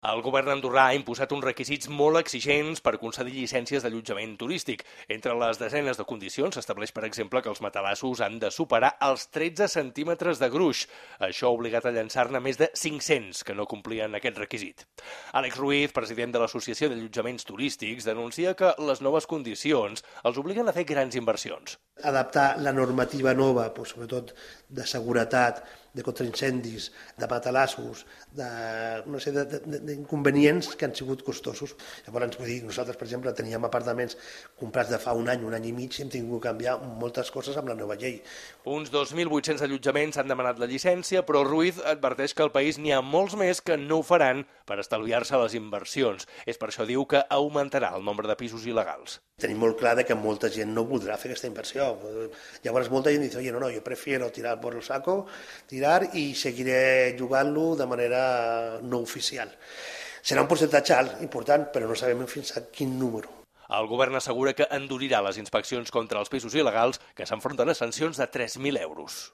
El govern andorrà ha imposat uns requisits molt exigents per concedir llicències d'allotjament turístic. Entre les desenes de condicions s'estableix, per exemple, que els matalassos han de superar els 13 centímetres de gruix. Això ha obligat a llançar-ne més de 500 que no complien aquest requisit. Àlex Ruiz, president de l'Associació d'Allotjaments Turístics, denuncia que les noves condicions els obliguen a fer grans inversions. Adaptar la normativa nova, sobretot de seguretat, de contraincendis, de matalassos, una sèrie d'inconvenients que han sigut costosos. Llavors, nosaltres, per exemple, teníem apartaments comprats de fa un any i mig, i hem tingut que canviar moltes coses amb la nova llei. Uns 2.800 allotjaments han demanat la llicència, però Ruiz adverteix que al país n'hi ha molts més que no ho faran per estalviar-se les inversions. És per això diu que augmentarà el nombre de pisos il·legals. Tenim molt clar que molta gent no voldrà fer aquesta inversió. Llavors molta gent diu, oye, no, yo prefiero tirar por el saco, tirar i seguiré jugant-lo de manera no oficial. Serà un percentatge alt, important, però no sabem fins a quin número. El govern assegura que endurirà les inspeccions contra els pisos il·legals, que s'enfronten a sancions de 3.000 euros.